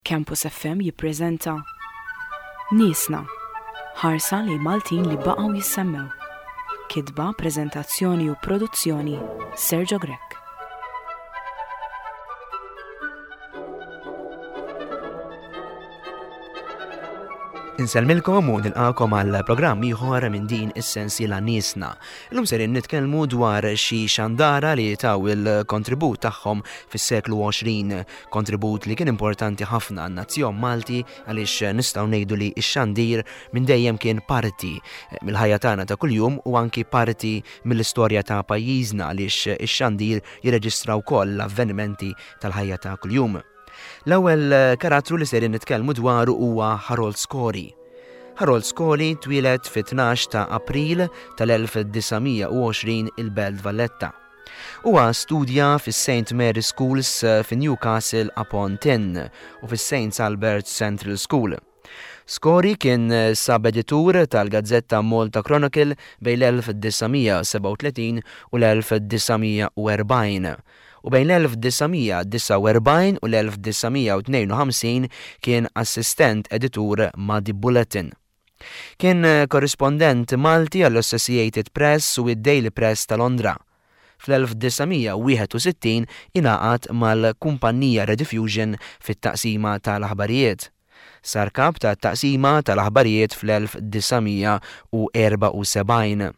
Campus FM jippreżenta Niesna, ħarsa lejn Maltin li baqgħu jissemmew. Kitba, preżentazzjoni u produzzjoni Sergio Grech. Insellmilkom u nilqakom għal programm ieħor minn din is-sensiela Niesna. Illum serin nitkellmu dwar xi xandara li taw il-kontribut tagħhom fis-seklu 20, kontribut li kien importanti ħafna għan-nazzjon Malti għaliex nistgħu ngħidu li x-xandir minn dejjem kien parti mill-ħajja tagħna ta' kuljum u anki parti mill-istorja ta' pajjiżna għaliex ix-xandir jirreġistra wkoll l-avvenimenti tal-ħajja ta' kuljum. L-ewwel karattru li sejrin nitkellmu dwaru huwa Harold Scory. Harold Scory twieled fit-12 ta' April tal-1920 il-Belt Valletta. Huwa studja fis-St Mary's Schools fi Newcastle upon Tyne u fis-St Albert's Central School. Scory kien sub-editur tal-gazzetta Malta Chronicle bejn l-1937 u l-1940 u bejn l-1949 u l-1952 kien assistent editur ma' The Bulletin. Kien korrispondent Malti għall-Associated Press u d-Daily Press ta' Londra. Fl-1961 ingħaqad mal-kumpannija Rediffusion fit-taqsima tal-aħbarijiet. Sar kap tat-taqsima tal-aħbarijiet fl-1974.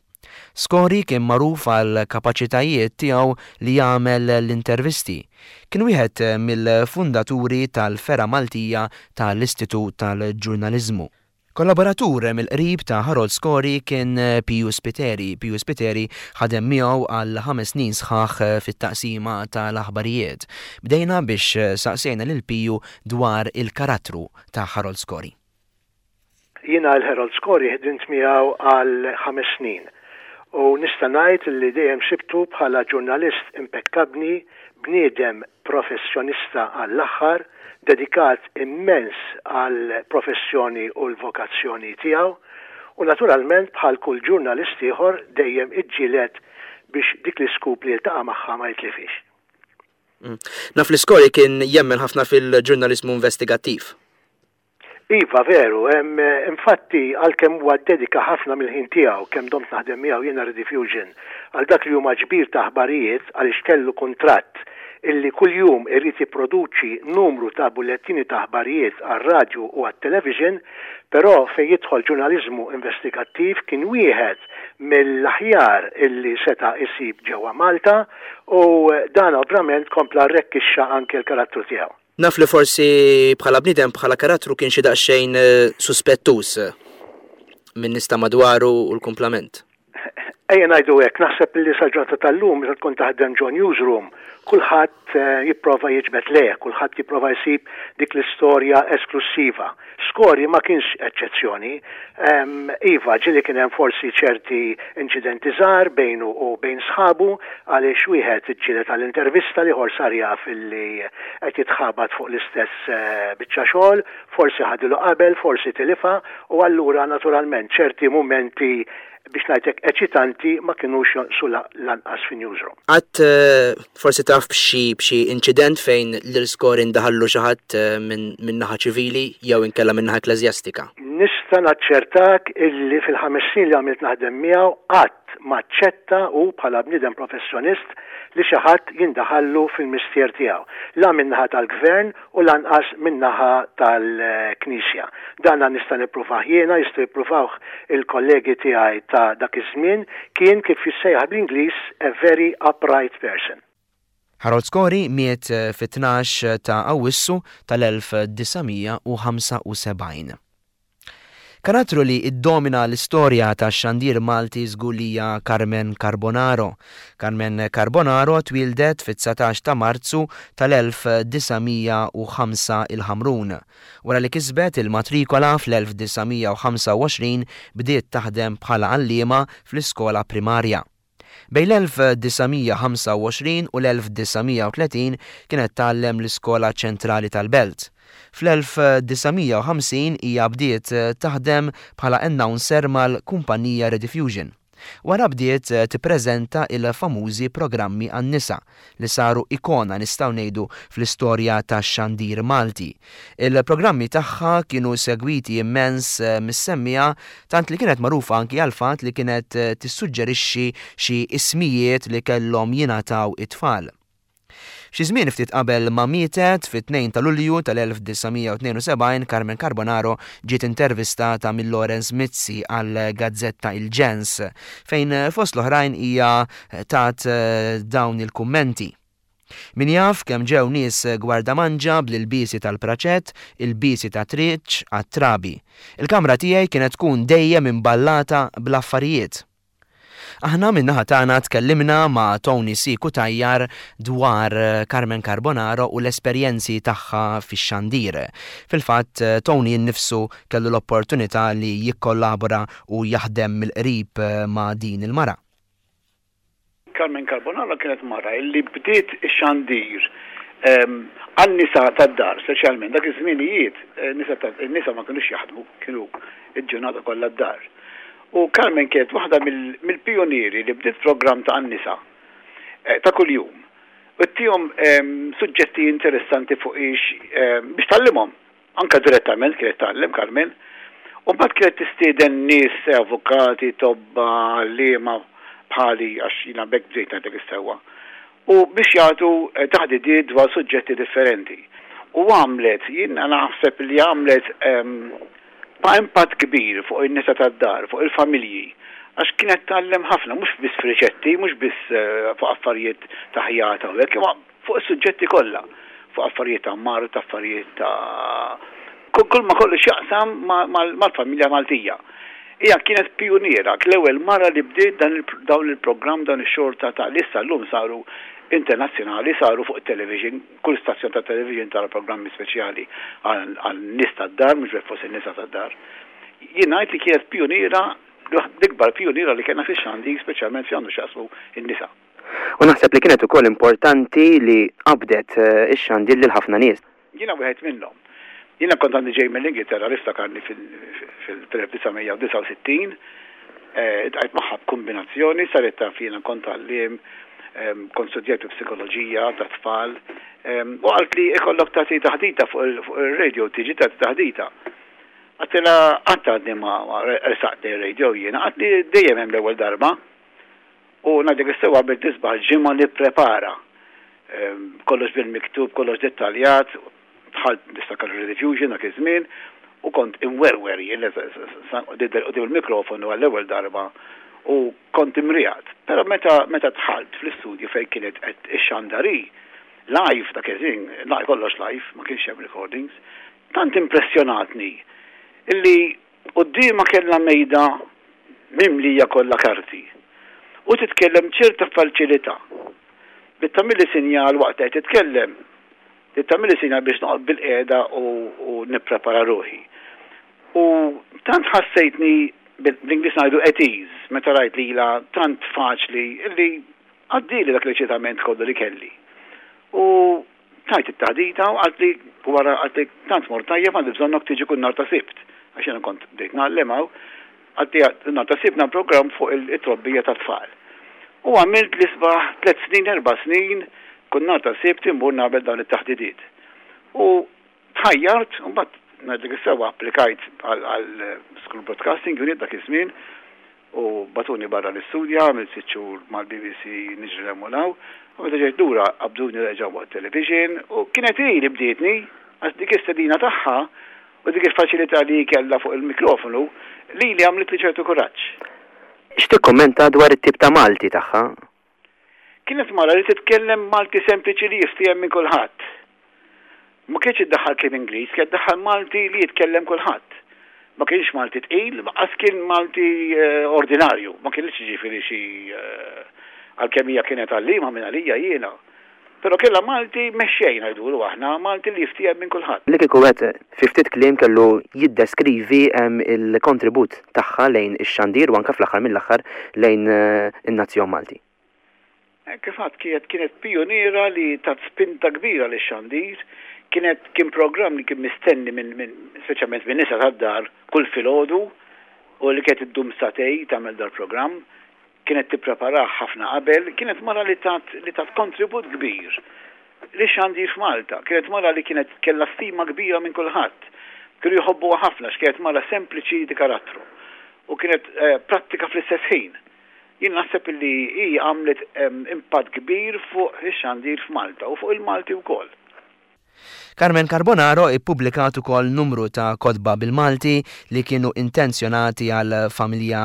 Scory kien magħruf għall-kapaċitajiet tiegħu li jagħmel l-intervisti. Kien wieħed mill-fundaturi tal-fergħa Maltija tal-Istitut tal-Ġurnaliżmu. Kollaboratur mill-qrib ta' Harold Scory kien Piju Spiteri. Piju Spiteri ħadem miegħu għal ħames snin sħaħ fit-taqsima tal-aħbarijiet. Bdejna biex saqsejna lil Piju dwar il-karattru ta' Harold Scory. Jiena 'l Harold Scory ħdimt miegħu għal ħames snin u nista' ngħid li dejjem sibtu bħala ġurnalist impekkabbni, bniedem professjonista għall-aħħar, dedikat immens għall-professjoni u l-vokazzjoni tiegħu u naturalment bħal kull ġurnalist ieħor dejjem iġġieled biex dik l-iscoop li jiltaqa' magħha ma jitlifhiex. Naf li Scory kien jemmen ħafna fil-ġurnaliżmu investigattiv. Iva, veru. Infatti, għalkemm huwa ddedika ħafna mill-ħin tiegħu, kemm domt naħdem miegħu jiena Rediffusion, għal dak li huma ġbir ta' aħbarijiet għaliex kellu kuntratt illi kuljum irid jipproduċi numru ta' bullettini ta' aħbarijiet għar-radju u għat-television, però fejn jidħol ġurnaliżmu investigattiv kien wieħed mill-aħjar illi seta' jsib ġewwa Malta u dan ovvjament kompla rrekkixxa anke l-karattru tiegħu. Naf li forsi bħala bniedem, bħala karattru kien xi daqsxejn suspettuż minn nies ta' madwaru u l-kumplament. Ejja ngħidu hekk, naħseb li sal-ġurnata tal-lum meta tkun taħdem ġo newsroom, kulħadd jipprova jiġbed lejh, kulħadd jipprova jsib dik l-istorja esklussiva. Scory ma kienx eċċezzjoni. Iva, ġieli kien hemm forsi ċerti inċidenti żgħar bejnu u bejn sħabu għaliex wieħed iġġieled għal intervista, l-ieħor sar jaf illi qed jitħabat fuq l-istess biċċa xogħol, forsi ħadilu qabel, forsi tilifha u allura naturalment ċerti mumenti biex ngħid hekk eċitanti ma kinux jonqsu lanqas fin-newsroom. Qatt forsi taf b'xi b'xi inċident fejn lil Scory ndaħallu xi ħadd minn naħa ċivili jew inkella minn naħa ekkleżjastika? Nista' naċċertak illi fil-ħames snin li għamilt naħdem miegħu qatt ma aċċetta hu bħala bniedem professjonist li xi ħadd jindaħallu fil-mistier tiegħu, la min-naħa tal-Gvern u lanqas min-naħa tal-Knisja. Dana nista' nippruvah jiena, jistgħu jippruvawh il-kollegi tiegħi ta' dak iż-żmien, kien kif jissejjaħ bl-Ingliż a very upright person. Harold Scory miet fit-tnax ta' Awwissu tal-1975. Karattru li ddomina l-istorja tax-xandir Malti żgur li hija Carmen Carbonaro. Carmen Carbonaro twieldet fit-19 ta' Marzu tal-1905 il-Ħamrun. Wara li kisbet il-matrikola fl-1925 bdiet taħdem bħala għalliema fl-iskola primarja. Bejn l-1925 u l-1930 kienet tgħallem l-Iskola Ċentrali tal-Belt. Fl-1950 hija bdiet taħdem bħala announcer mal-kumpanija Rediffusion. Wara bdiet tippreżenta il-famużi programmi għan-nisa, li saru ikona nistgħu ngħidu fl-istorja tax-xandir Malti. Il-programmi tagħha kienu segwiti immens mis-semmiegħa tant li kienet magħrufa anki għall-fatt li kienet tissuġġerixxi xi ismijiet li kellhom jingħataw it-tfal. Xi żmien ftit qabel ma mietet, fit-2 ta' Lulju tal-1972 Carmen Carbonaro ġiet intervistata minn Lawrence Mizzi għall-gazzetta Il-Ġens, fejn fost l-oħrajn hija tat dawn il-kummenti. Min jaf kemm ġew nies gwardamanġa bl-ilbiesi tal-praċett, ilbiesi ta' triċ għat-trabi. Il-kamra tiegħi kienet tkun dejjem imballata bl-affarijiet. Aħna min-naħa tagħna tkellimna ma' Tony C. Cutajar dwar Carmen Carbonaro u l-esperjenzi tagħha fix-xandir. Fil-fatt, Tony innifsu kellu l-opportunità li jikkollabora u jaħdem mill-qrib ma' din il-mara. Carmen Carbonaro kienet mara li bdiet ix-xandir għan-nisa tad-dar, speċjalment dak iż-żminijiet in-nisa ma kinux jaħdmu, kienu l-ġurnata kollha d-dar. U Carmen kienet waħda mill-pijunieri li bdiet programm ta' għan-nisa ta' kuljum u ttihom suġġetti interessanti fuq ix biex tgħallimhom. Anke direttament kienet tgħallem Carmen. U mbagħad kienet tistieden nies, avukati, tobba, għalliema bħali għax jiena b'hekk bdejt ngħidlek is-sewwa. U biex jagħtu taħdidiet dwar suġġetti differenti. U għamlet, jiena naħseb li għamlet pa' impatt kbir fuq in-nisa tad-dar, fuq il-familji, għax kienet tgħallem ħafna, mhux biss f'riċetti, mhux biss fuq affarijiet ta' ħjata u hekk, imma fuq is-suġġetti kollha, fuq affarijiet ta' mard, affarijiet ta' kull ma kollu x'jaqsam mal-familja Maltija. Hija kienet pijuniera, l-ewwel mara li bdiet dawn il-programm, dawn ix-xorta ta' li issa llum saru internazzjonali, saru fuq it-television, kull stazzjon ta' television tara programmi speċjali għan-nies tad-dar, mhux b'hekk forsi n-nisa tad-dar. Jien ngħid li kienet pijuniera, l-ikbar pijuniera li kellna fix-xandir, speċjalment fejn għandu x'jaqsmu n-nisa. U naħseb li kienet ukoll importanti li qabdet ix-xandir lil ħafna nies. Jiena wieħed minnhom. Jiena kont għandi ġej mill-Ingilterra niftakarni fil-1969, iltqajt magħha b'kumbinazzjoni, saret taf li jiena kont għalliem, kont studjajt il-psikoloġija tat-tfal, u qaltli ikollok tagħti taħdita fuq ir-radio, tiġi tagħti taħdita. Għedtilha qatt għadni ma rsaqt lejn ir-radio jiena, qaltli dejjem hemm l-ewwel darba. U ngħidlek is-sewwa għamilt isbaħ ġimgħa nipprepara. Kollox bil-miktub, kollox dettaljat, dħalt niftakar ir-Rediffusion dak iż-żmien u kont imwerwer jien nidher quddiem il-mikrofonu għall-ewwel darba u kont imriegħed. Però meta meta dħalt fl-istudju fejn kienet qed ixxandar hi, live dak iż-żmien, kollox live, ma kienx hemm recordings, tant impressjonatni illi Quddiemha kellha mejda mimlija kollha karti u titkellem b'ċerta faċilità. Bdiet tagħmilli sinjal waqt li qed titkellem, bdiet tagħmilli sinjal biex noqgħod bilqiegħda u nipprepara ruħi. U tant ħassejtni, bl-Ingliż ngħidu at ease, meta rajt lilha tant faċli illi għaddieli dak l-eċitament kollu li kelli. U Tajt it-taħdita u qaltli wara qaltli tant mort tajjeb għandi bżonnok tiġi kull nhar ta' Sibt għax jiena kont bdejt ngħallem hawn, qaltli nhar ta' Sibt nagħmel programm fuq it-trobbija tat-tfal. U għamilt l-isbaħ tlett snin erba' snin kull nhar ta' Sibt immur nagħmel dawn it-taħdidiet. U tħajjart u mbagħad ngħidlek is-sewwa applikajt għal School Broadcasting Unit dak iż-żmien U bagħtuni barra nistudja, għamilt sitt xhur mal-BBC niġri 'l hemm u 'l hawn. U meta ġejt lura qabduni reġgħu waqt television u kienet hi li bdietni għax dik is-stedina tagħha u dik il-faċilità li hi kellha fuq il-mikrofonu lili għamlitli ċertu kuraġġ. X'tikkummenta dwar it-tip ta' Malti tagħha? Kienet mara li titkellem Malti sempliċi li jiftiehem minn kulħadd. Ma kienx iddaħħal kliem Ingliż, kienet iddaħħal Malti li jitkellem kulħadd. Ma kienx Malti tqil, lanqas kien Malti ordinarju, ma kienx jiġifieri xi għalkemm hija kienet għalliema minn għalija jiena. Però kellha Malti mexxej ngħidulu aħna, Malti li jiftiehem minn kulħadd. Li kieku wieħed fi ftit kliem kellu jiddeskrivi l-kontribut tagħha lejn ix-xandir u anke fl-aħħar mill-aħħar lejn in-nazzjon Malti. Kif għedt kienet kienet pijuniera li tat spinta kbira lix-xandir. Kienet kien programm li kien mistenni minn minn speċjalment min-nisa tad-dar kull filgħodu u li kienet iddum sagħtejn tagħmel dal-programm. Kienet tippreparah ħafna qabel, kienet mara li tat li tat kontribut kbir lix-xandir f'Malta. Kienet mara li kienet kellha stima kbira minn kulħadd. Kienu jħobbuha ħafna għax kienet mara sempliċi di karattru u kienet prattika fl-istess ħin. Jien naħseb li hi għamlet impatt kbir fuq ix-xandir f'Malta u fuq il-Malti wkoll. Carmen Carbonaro ippubblikat ukoll numru ta' kotba bil-Malti li kienu intenzjonati għall-familja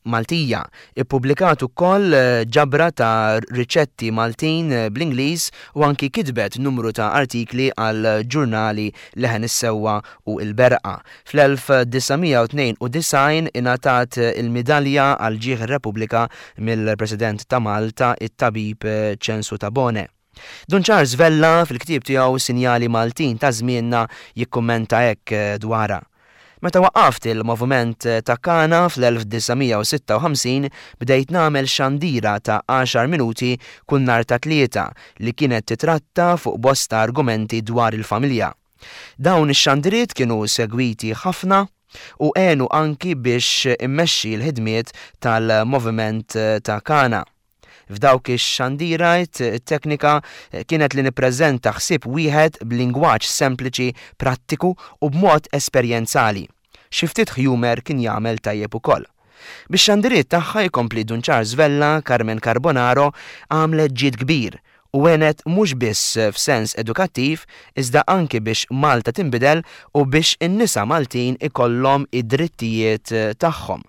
Maltija. Ippubblikat ukoll ġabra ta' riċetti Maltin bl-Ingliż u anki kitbet numru ta' artikli għal ġurnali Leħen is-Sewwa u Il-Berqa. Fl-1992 ingħatat il-Midalja għal Ġieħ ir-Repubblika mill-President ta' Malta, it-Tabib Ċensu Tabone. Dun Charles Vella fil-ktieb tiegħu Sinjali Maltin ta' Żmienna jikkummenta hekk dwarha, Meta waqqaft il-Moviment ta' Kana fl-1956 bdejt nagħmel xandira ta' għaxar minuti kull nhar ta' Tlieta li kienet titratta fuq bosta argumenti dwar il-familja. Dawn ix-xandiriet kienu segwiti ħafna u għenu anki biex immexxi l-ħidmiet tal-Moviment ta' Kana. F'dawk ix-xandira t-teknika kienet li nippreżenta ħsieb wieħed b'lingwaġġ sempliċi, prattiku u b'mod esperjenzali. Xi ftit ħjumer kien jagħmel tajjeb ukoll. Bix-xandiriet tagħha jkompli Dun Charles Vella, Carmen Carbonaro għamlet ġid kbir u għenet mhux biss f'sens edukattiv iżda anki biex Malta tinbidel u biex in-nisa Maltin ikollhom id-drittijiet tagħhom.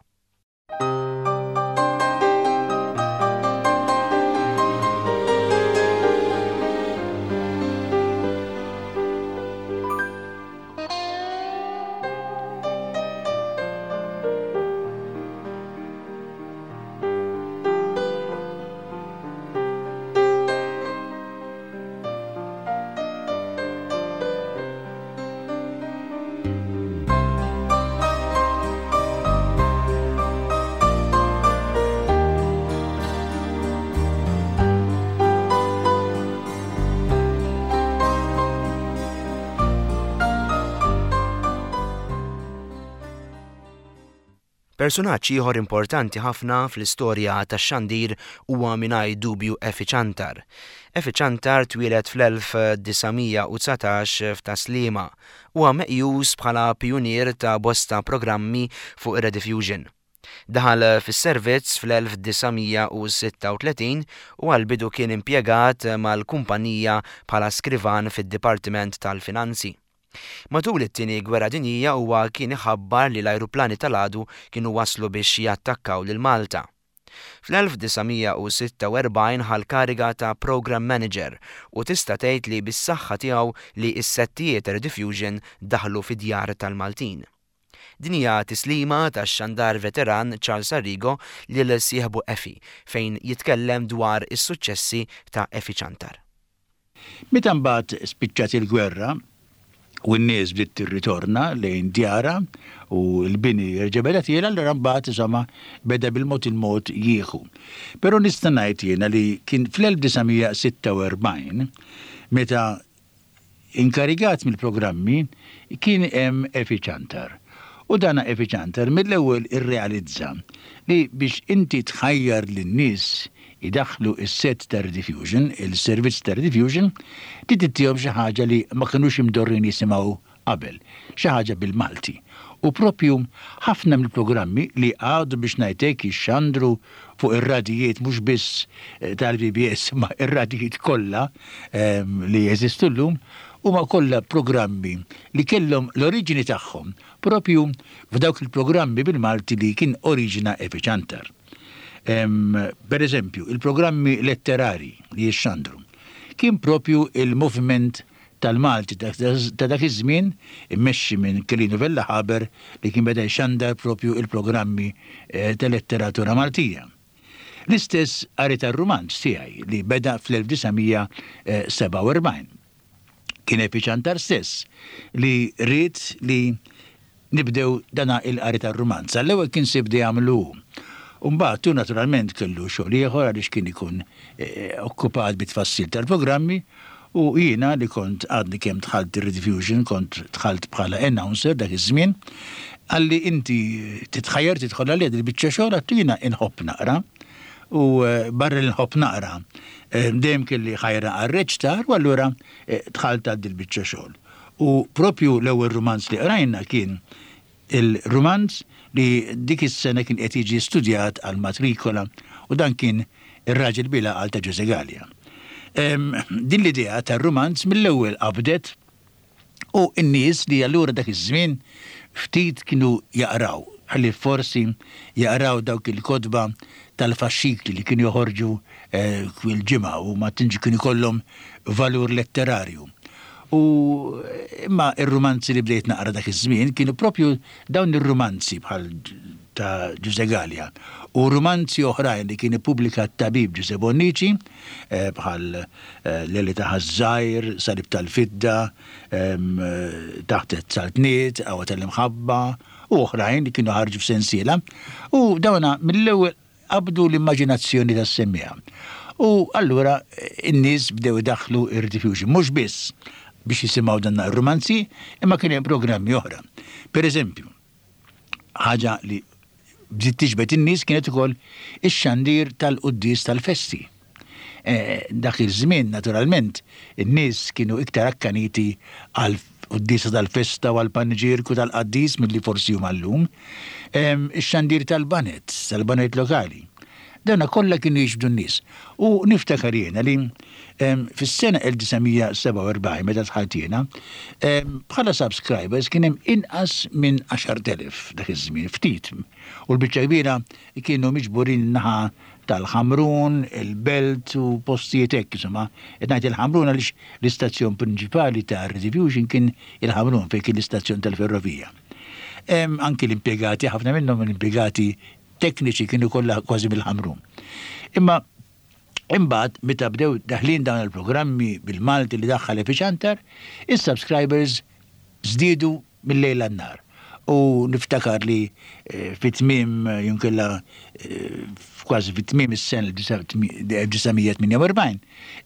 Persunaġġ ieħor importanti ħafna fl-istorja tax-xandir huwa mingħajr dubju Effie Ciantar. Effie Ciantar twieled fl-1919 f'Tas-Sliema. Huwa meqjus bħala pijunier ta' bosta programmi fuq ir-Rediffusion. Daħal fis-servizz fl-1936 u għall-bidu kien impjegat mal-kumpanija bħala skrivan fid-Dipartiment tal-Finanzi. Matul it-Tieni Gwerra Dinjija huwa kien iħabbar li l-ajruplani tal-għadu kienu waslu biex jattakkaw lil Malta. Fl-1946 ħa l-kariga ta' Programme Manager u tista' tgħid li bis-saħħa tiegħu li s-settijiet Rediffusion daħlu fid-djar tal-Maltin. Din hija tislima tax-xandar veteran Charles Arrigo lil sieħbu Effie fejn jitkellem dwar is-suċċessi ta' Effie Ciantar. Meta mbagħad spiċċat il-gwerra u n-nies bdiet tirritorna lejn djarha u l-bini reġa' beda tiela' allura mbagħad insomma beda bil-mod il-mod jieħu. Però nista' ngħid jiena li kien fl-1946 meta inkarigat mill-programmi kien hemm Effie Ciantar. U dana Effie Ciantar mill-ewwel irrealizza li biex inti tħajjar lin-nies idaħħlu s-sett ta' Rediffusion, il-servizz ta' Rediffusion, trid ittihom xi ħaġa li ma kinux imdorrijin jisimgħu qabel, xi ħaġa bil-Malti. U proprju ħafna mill-programmi li għadu biex ngħid hekk jixxandru fuq ir-radijiet mhux biss tal-PBS imma r-radijiet kollha li jeżistu llum, huma kollha programmi li kellhom l-oriġini tagħhom proprju f'dawk il-programmi bil-Malti li kien oriġina Epi Ciantar. Per eżempju, il-programmi letterarji li jixxandru kien proprju il-moviment tal-Malti ta' dak iż-żmien immexxi minn Kelinu Vella Haber li kien beda jxandar proprju il-programmi ta' letteratura Maltija. L-istess qari tar-rumanz tiegħi li beda fl-1947. Kien Epi Ciantar stess li ried li nibdew dan il-qari tar-rumanz. Għall-ewwel kien se jibda jagħmlu hu. U mbagħad hu naturalment kellu xogħol ieħor għaliex kien ikun okkupat bit-tfassil tal-programmi u jiena li kont għadni kemm dħalt ir-Rediffusion, kont dħalt bħala announcer dak iż-żmien, qalli inti titħajjar tidħol għaliha dil-biċċa xogħol għadtu jiena inħobb naqra. U barra li nħobb naqra, dejjem kelli ħajra għar-reċtar u allura dħalt għal dil-biċċa xogħol. U propju l-ewwel rumanz li qrajna kien il-rumanz li dik is-sena kien qed jiġi studjat għall-matrikola u dan kien Ir-Raġel Bil-Għaqal ta' Ġużè Galea. Din l-idea tar-rumanz mill-ewwel qabdet u n-nies li allura dak iż-żmien ftit kienu jaqraw, ħlief forsi jaqraw dawk il-kotba tal-faxxikli li kienu joħorġu kull ġimgħa u ma tantx kien ikollhom valur letterarju. U imma r-rumanzi li bdejt naqra dak iż-żmien kienu propju dawn ir-rumanzi bħal ta' Ġużè Galea u rumanzi oħrajn li kien ippubblika t-tabib Ġużè Bonnici bħal Leli ta' Ħaż-Żgħir, Salib tal-Fidda, Taħt it-Saltniet, Qawwa tal-Imħabba u oħrajn li kienu ħarġu f'sensiela u dawna mill-ewwel qabdu l-immaġinazzjoni tas-semmiegħa. U allura n-nies bdew idaħħlu r-rediffusion, mhux biss biex jisimgħu dan ir-rumanzi, imma kien hemm programmi oħra. Per eżempju, ħaġa li bdiet tiġbed in-nies kienet ukoll ix-xandir tal-quddies tal-festi. Dak iż-żmien, naturalment, in-nies kienu iktar akkaniti għall-quddiesa tal-festa u għall-paniġierku tal-qaddis milli forsi huma llum. Ix-xandir tal-baned, tal-baned lokali. Dawna kollha kienu jiġbdu n-nies. U niftakar jiena li fis-sena 1947 meta dħalt jiena, bħala subscribers kien hemm inqas minn 10,000 dak iż-żmien, ftit. U l-biċċa kbira kienu miġburin in-naħa tal-Ħamrun, il-Belt u postijiet hekk, insomma. Qed ngħid il-Ħamrun għaliex l-istazzjon prinċipali ta' Rediffusion kien il-Ħamrun fejn kien l-istazzjon tal-ferrovija. Anki l-impjegati, ħafna minnhom l-impjegati tekniċi kienu kollha kważi mill-Ħamrun. Imma imbagħad meta bdew daħlin dawn il-programmi bil-Malti li daħħal Efi Ciantar, is-subscribers żdiedu mil-lejl għan-nhar. U niftakar li fi tmiem jew inkella kważi fi tmiem is-sena 1948,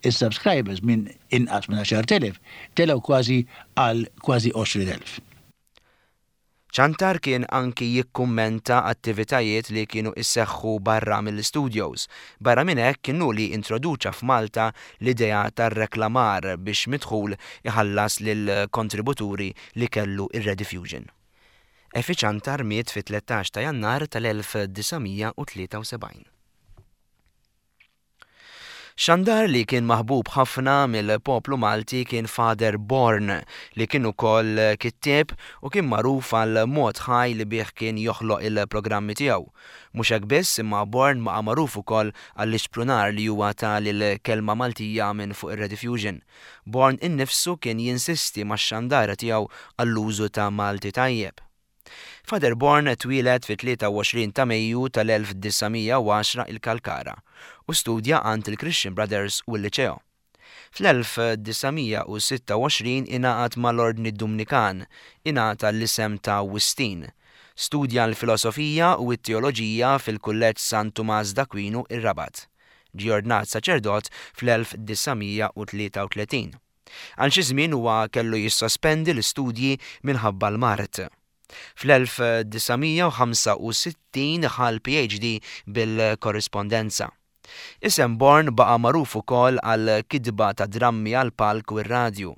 is-subscribers minn inqas minn 10,000 telgħu kważi għal kważi 20,000. Ciantar kien anki jikkummenta attivitajiet li kienu jseħħu barra mill-istudios. Barra minn hekk kien hu li introduċa f'Malta l-idea tar-reklamar biex mid-dħul iħallas lill-kontributuri li kellu r-Rediffusion. Effie Ciantar miet fit-13 ta' Jannar tal-1973. Xandar li kien maħbub ħafna mill-poplu Malti kien Father Born li kien ukoll kittieb u kien magħruf għal mod ħaj li bih kien joħloq il-programmi tiegħu. Mhux hekk biss imma Born baqa' magħruf ukoll għall-ixprunar li huwa ta lill-kelma Maltija minn fuq ir-Rediffusion. Born innifsu kien jinsisti max-xandara tiegħu għall-użu ta' Malti tajjeb. Father Born twieled fit-23 ta' Mejju tal-1910 il-Kalkara u studja għand il-Christian Brothers u l-Liċeo. Fl-1926 ingħaqad mal-Ordni Dumnikan, ingħata l-isem ta' Wistin. Studja l-Filosofija u t-Teoloġija fil-Kulleġġ San Tumas d'Aquinu ir-Rabat. Ġie ordnat saċerdot fl-1933. Għal xi żmien huwa kellu jissospendi l-istudji minħabba l-mard. Fl-1965 ħa l-PhD bil-korrispondenza. Isem Born baqa' magħruf ukoll għall-kitba ta' drammi għall-palk u r-radju.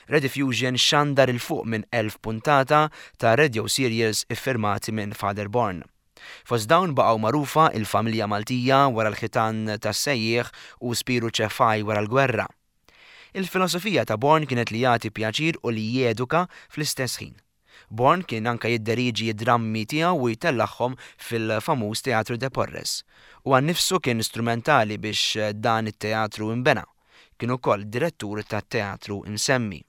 Rediffusion xandar 'il fuq minn 1,000 puntata ta' radio serials iffirmati minn Father Born. Fost dawn baqgħu magħrufa Il-Familja Maltija wara l-Ħitan tas-Sejjieħ u Spiru Cefai wara l-Gwerra. Il-filosofija ta' Born kienet li jagħti pjaċir u li jeduka fl-istess ħin. Born kien anke jidderieġi d-drammi tiegħu u jtellagħhom fil-famuż Teatru de Porres. Huwa nnifsu kien strumentali biex dan it-teatru inbena. Kien ukoll direttur tat-teatru msemmi.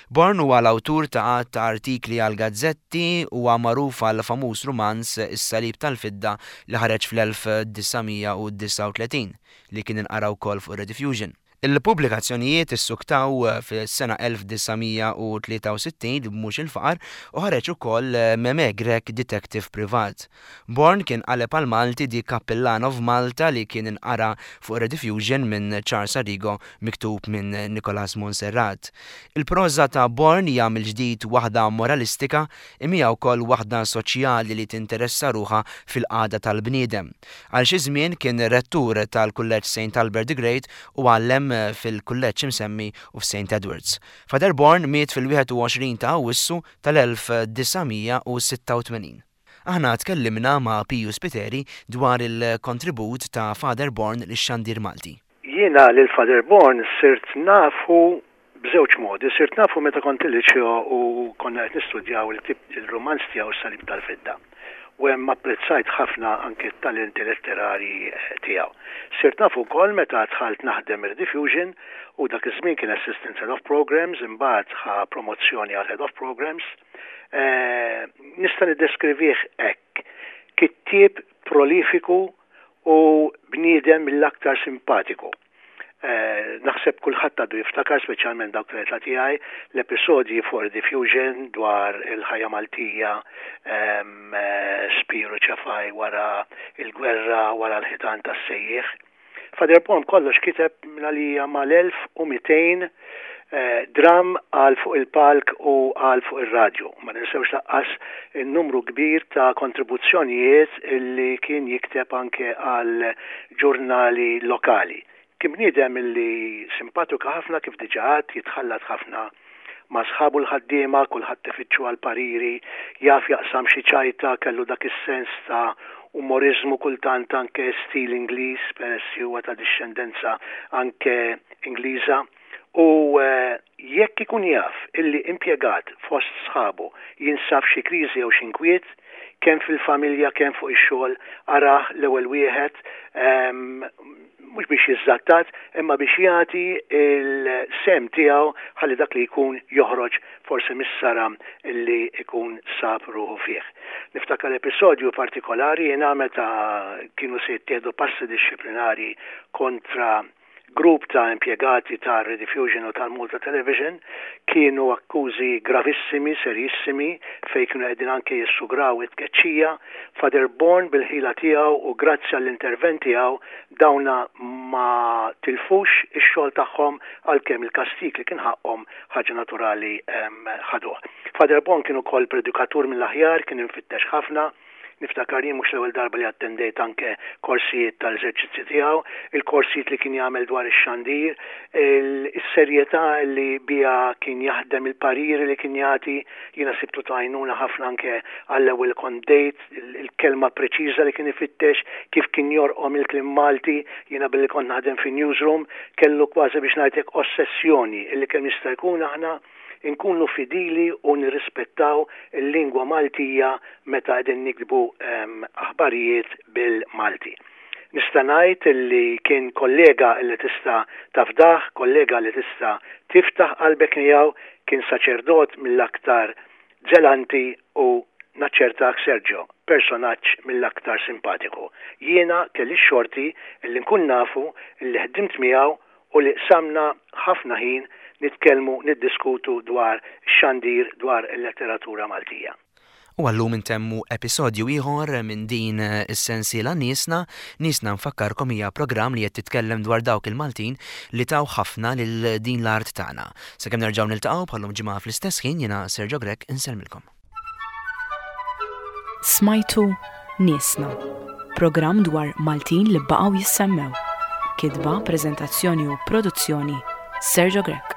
Born huwa l-awtur ta' għadd ta' artikli għall-gazzetti, huwa magħruf għall-famuż rumanz Is-Salib tal-Fidda li ħareġ fl-1939, li kien inqara wkoll fuq ir-Rediffusion. Il-pubblikazzjonijiet issuktaw fis-sena 1963 b'Mhux il-Faqar u ħareġ ukoll Memè Grech Detective Privat. Born kien qaleb għall-Malti The Cappillan of Malta li kien inqara fuq Rediffusion minn Charles Arrigo miktub minn Nicholas Monserrat. Il-proża ta' Born hija mill-ġdid waħda moralistika imma hija wkoll waħda soċjali li tinteressa ruħha fil-qagħda tal-bniedem. Għal xi żmien kien rettur tal-Kulleġġ Saint Albert the Great u għallem fil-kulleġġ imsemmi u f'Saint Edwards. Father Bourne miet fil-21 ta' Awwissu tal-1986. Aħna tkellimna ma' Piju Spiteri dwar il-kontribut ta' Father Bourne lix-xandir Malti. Jiena lil Father Bourne sirt nafu b'żewġ modi. Sirt nafu meta kont il-liċeo u konna qed nistudjaw il-ktieb il-rumanz tiegħu S-Salib tal-Fidda. U hemm apprezzajt ħafna anke t-talenti letterarji tiegħu. Sirt nafu wkoll meta dħalt naħdem ir-Rediffusion u dak iż-żmien kien Assistant Head of Programmes, imbagħad ħa promozzjoni għal Head of Programmes. Nista' niddeskrivih hekk, kittieb prolifiku u bniedem mill-aktar simpatiku. Naħseb kulħadd għadu jiftakar, speċjalment dawk tal-età tiegħi, l-episodji fuq Rediffusion dwar il-ħajja Maltija, Spiru Ċefaj wara l-gwerra, wara l-ħitan tas-sejjieħ. Father Paul b'kollox kiteb minn għalija mal-1200 dramm għal fuq il-palk u għal fuq ir-radju. Ma ninsewx laqqas in-numru kbir ta' kontribuzzjonijiet li kien jikteb anke għal ġurnali lokali. Kien bniedem li simpatiku ħafna kif diġà għedt, jitħallat ħafna ma' sħabu l-ħaddiema, kulħadd ifittxu għal pariri, jaf jaqsam xi ċajta, kellu dak is-sens ta' umoriżmu kultant anke stil Ingliż peress li huwa ta' dixxendenza anke Ingliża. U jekk ikun jaf illi impjegat fost sħabu jinsab f'xi kriżi jew xi nkwiet, kemm fil-familja kemm fuq ix-xogħol, arah l-ewwel wieħed mhux biex jiżżattat imma biex jagħti l-sehem tiegħu ħalli dak li jkun joħroġ forsi mis-saram illi jkun sab ruħu fih. Niftakar episodju partikolari jiena meta kienu se jittieħdu passi dixxiplinari kontra Grupp ta' impjegati ta' Rediffusion u tal-Malta Television kienu akkużi gravissimi, serjissimi, fejn kienu qegħdin anke jissugraw it-tkeċċija. Father Bourne bil-ħila tiegħu u grazzi għall-intervent tiegħu dawna ma tilfux ix-xogħol tagħhom għalkemm il-kastig li kien ħaqqhom ħaġa naturali ħaduh. Father Bourne kien ukoll predikatur mill-aħjar, kien imfittex ħafna. Niftakar jien mhux l-ewwel darba li attendejt anke korsijiet tal-eżerċizzji tiegħu, il-korsijiet li kien jagħmel dwar ix-xandir, is-serjetà li biha kien jaħdem, il-pariri li kien jagħti, jiena sibtu ta' għajnuna ħafna anke għall-ewwel li kont bdejt, il-kelma preċiża li kien ifittex, kif kien jorqom il-kliem Malti, jiena billi kont naħdem fi newsroom, kellu kważi biex ngħid hekk ossessjoni illi kemm jista' jkun aħna inkunu fidili u nirrispettaw il-lingwa Maltija meta qegħdin niktbu aħbarijiet bil-Malti. Nista' ngħid li kien kollega li tista' tafdah, kollega li tista' tiftaħ qalbek miegħu, kien saċerdot mill-aktar żelanti u naċċertak Sergio, personaġġ mill-aktar simpatiku. Jiena kelli x-xorti li nkun nafu, li ħdimt miegħu u li qsamna ħafna ħin nitkellmu, niddiskutu dwar ix-xandir, dwar il-letteratura Maltija. U għal-lum intemmu episodju ieħor minn din is-sensiela Niesna. Niesna nfakkarkom hija programm li qed titkellem dwar dawk il-Maltin li taw ħafna lil din l-art tagħna. Sakemm nerġgħu niltaqgħu bħal-lum ġimgħa fl-istess ħin jiena Sergio Grech insellmilkom. Smajtu Niesna, programm dwar Maltin li baqgħu jissemmew. Kitba, preżentazzjoni u produzzjoni Sergio Grech.